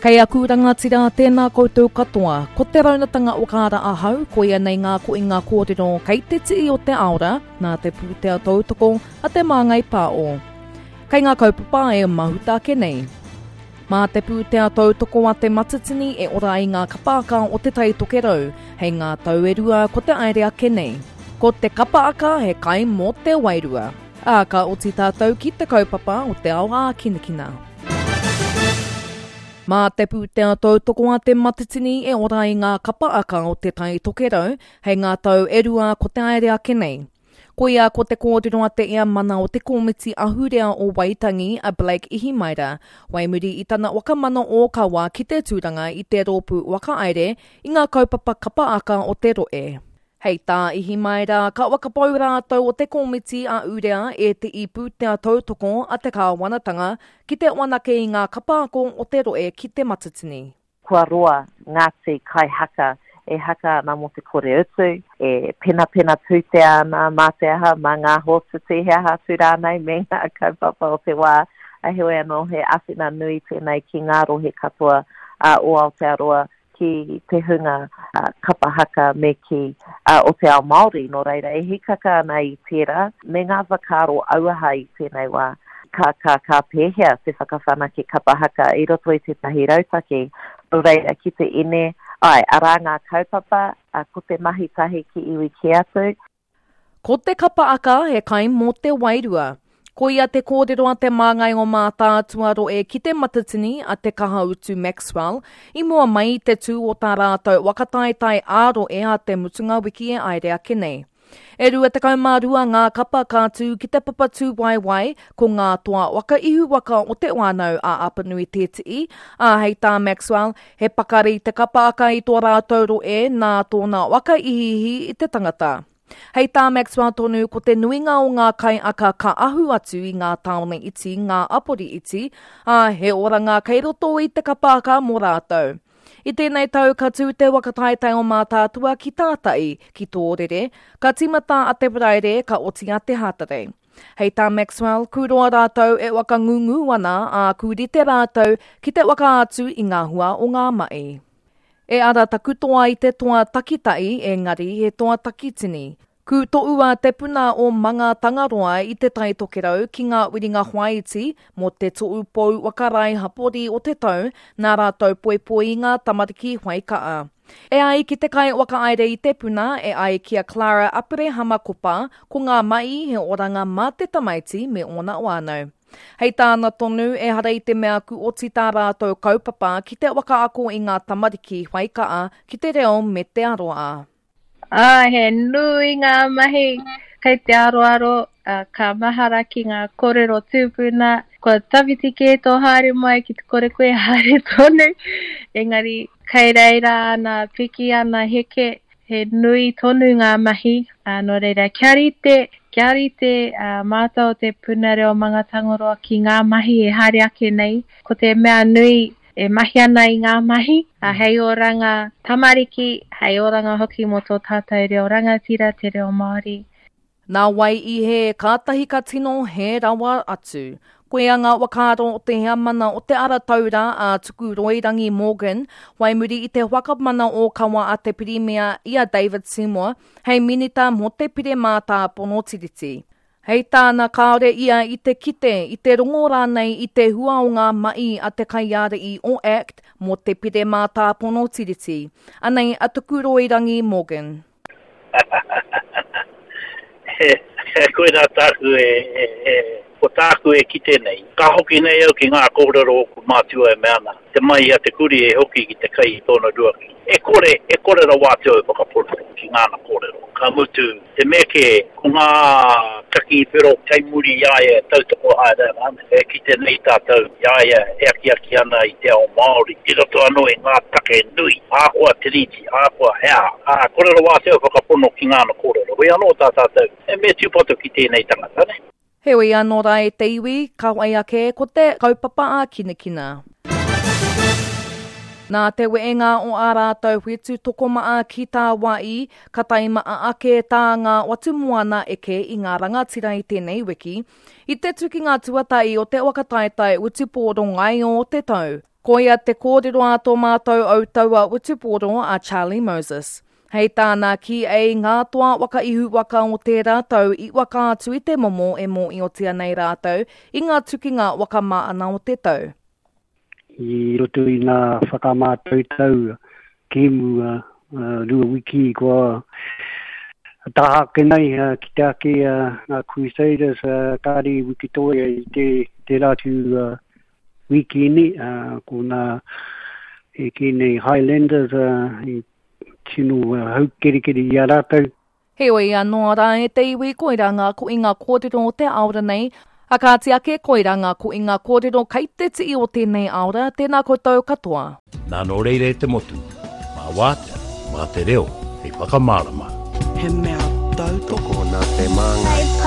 Kei aku rangatira, tēnā koutou katoa. Ko te raunatanga o Kāra ahau, koia nei ngā koinga kōrero kei te tii o te aora, nā te pūtea tautoko a Te Māngai Pāo. Kei ngā kaupapa e mahuta ake nei. Mā te pūtea tautoko a Te Matatini e ora ai ngā kapaaka o Te Tai Tokerau, hei ngā tau e rua ko te aere ake nei. Ko te kapaaka he kai mō te wairua. Ā, ka oti tātou ki te kaupapa o te ao ākinakina. Mā te pūtea tautoko a Te Matatini e ora ai ngā kapa aka o Te Tai Tokerau hei ngā tau e rua ko te aere ake nei. Koia ko te kōrero a te Eamana o te Komiti Ahurea o Waitangi a Blake Ihimaera, wai muri i tana whakamana ōkawa ki te tūranga i te rōpū whakahaere i ngā kaupapa kapa aka o te rohe. Hei tā Ihimaera, ka whakapau rātou o te komiti a Urea e te i pūtea tautoko a te kāwanatanga ki te whanake i ngā kapa ako o te rohe ki Te Matatini. Kua roa Ngāti Kai Haka e haka ana mō te kore utu, e penapena pūtea ana mā te aha, mā ngā hōtuti, he aha atu rānei me ngā kaupapa o te wā, heoi anō he āwhina nui tēnei ki ngā rohe katoa o Aotearoa ki te hunga kapa haka me ki o te ao Māori, nō reira e hīkaka ana i tērā me ngā whakaaro auaha i tēnei wā, ka, ka, ka pēhea te whakawhanake kapa haka i roto i tētahi rautaki, nō reira ki te ine, āe, arā ngā kaupapa, ko te mahi tahi ki iwi kē atu. Ko te kapa aka he kai mō te wairua. Koia te kōrero a te māngai o Mātaatua rohe ki Te Matatini a Te Kahautu Maxwell i mua mai i te tū o tā rātou waka taetae ā-rohe a te mutunga wiki e aere ake nei. E 22 ngā kapa ka tū ki te papa tūwaewae, ko ngā toa waka ihu waka o Te Whānau a Apanui Tēti'i, ā, hei tā Maxwell, He pakari te kapa aka i tō rātou rohe nā tōna waka ihiihi i te tangata. Hei tā Maxwell tonu, ko te nuinga o ngā kaiaka ka ahu atu i ngā tāone iti, ngā apori iti, ā, he oranga kei roto i te kapa aka mō rātou. I tēnei tau ka tū te waka taetae o Mātaatua ki Tāta'i, ki Tōrere, ka tīmata a te Paraire, ka oti a te Hātarei. Hei tā Maxwell, ku roa rātou e whakangungu ana, ā, ku rite rātou ki te whakaatu i ngā hua o ngā mahi. E ara taku toa i te toa takitahi, engari he toa takitini. Ku toua te puna o Manga Tangaroa i Te Tai Tokerau ki ngā wiringa whāiti mō te Tohu Pou Whakarae Hapori o te Tau nā rātou poipoi i ngā tamariki whai kaa. E ai ki te kaiwhakahaere i te puna, e ai ki a Clara Aperehama Kopa, ko ngā mahi he oranga mā te tamaiti me ōna whānau. Hei tāna tonu, ehara i te mea ku oti tā rātou kaupapa ki te whakaako i ngā tamariki whai kaa ki te reo me te aroā. Ā, he nui ngā mahi kei te aroaro, ā, ka mahara ki ngā kōrero tūpuna, kua tawhiti kē tō haere mai ki te kore koe haere tonu, engari kei reira ana piki ana heke, he nui tonu ngā mahi, ā, nō reira kia rite, kia rite ā, mātou o te Puna Reo Mangatangaroa ki ngā mahi e haere ake nei, ko te mea nui e mahi ana i ngā mahi, ā, hei oranga tamariki, hei oranga hoki mō tō tātou reo rangatira, te reo Māori. Nā wai i hē, kātahi ka tino hē rawa atu. Koia ngā whakaaro o te heamana o Te Ara Taura a Tukuroirangi Morgan, whai muri i te whakamana ōkawa a te Pirimia i a David Seymour hei Minita mō te Pire Mātāpono Tiriti. Hei tāna kāore ia i te kite, i te rongo rānei i te hua o ngā mahi a te kaiārahi o act mō te Pire Mātāpono Tiriti. Anei a Tukuroirangi Morgan. Koirā tāku e, e, e, ko tāku e kite nei. Ka hoki nei au ki ngā kōrero o ōku mātua e mea ana, te mahi a te kurī e hoki ki te kai i tōna ruaki. E kore, e kore rawa atu au e whakapono ki ngāna kōrero. Ka mutu, Te mea kē, ko ngā kakī whero kei muri i a ia e tautoko haere ana, e kite nei tātou i a ia e akiaki ana i te ao Māori i roto anō i ngā take nui, ahakoa Tiriti, ahakoa he aha. Ā, kore rawa atu au whakapono ki ngāna kōrero. Hoi anō tā tātou, he mea tūpato ki tēnei tangata, nē? Heoi anō rā e te iwi, ka whai ake ko te kaupapa ākinakina. Nā te wehenga o ā rātou whetu tokomaha ki tāwāhi, ka taimaha ake tā ngā whatumoana eke i ngā rangatira i tēnei wiki, i te tukinga tuatahi o te whakataetae whutupōro ngaio o te tau. Koia te kōrero a tō mātou autaua wutupōro a Charlie Moses. Hei tāna kī ei ngā toa waka ihu waka o tērā tau i waka atu i te momo e mōiotia nei rātou i ngā tukinga waka māna o te tau. I roto i ngā whakamātautau kēmu rua wiki kua taha ake nei ki te ake ngā Crusaders kāre i wikitoria i te tērā atu wikini ko ngā e kī nei Highlanders i tino haukerekere i a rātou. Heoi anō rā e te iwi koirā ngā koinga kōrero o te aora nei, a kāti ake koirā ngā koinga kōrero kei te tii o tēnei aora, tēnā koutou katoa. Nā nō reira e te motu, mā wātea, mā te reo hei whakamārama. He mea tautoko nā te māngai.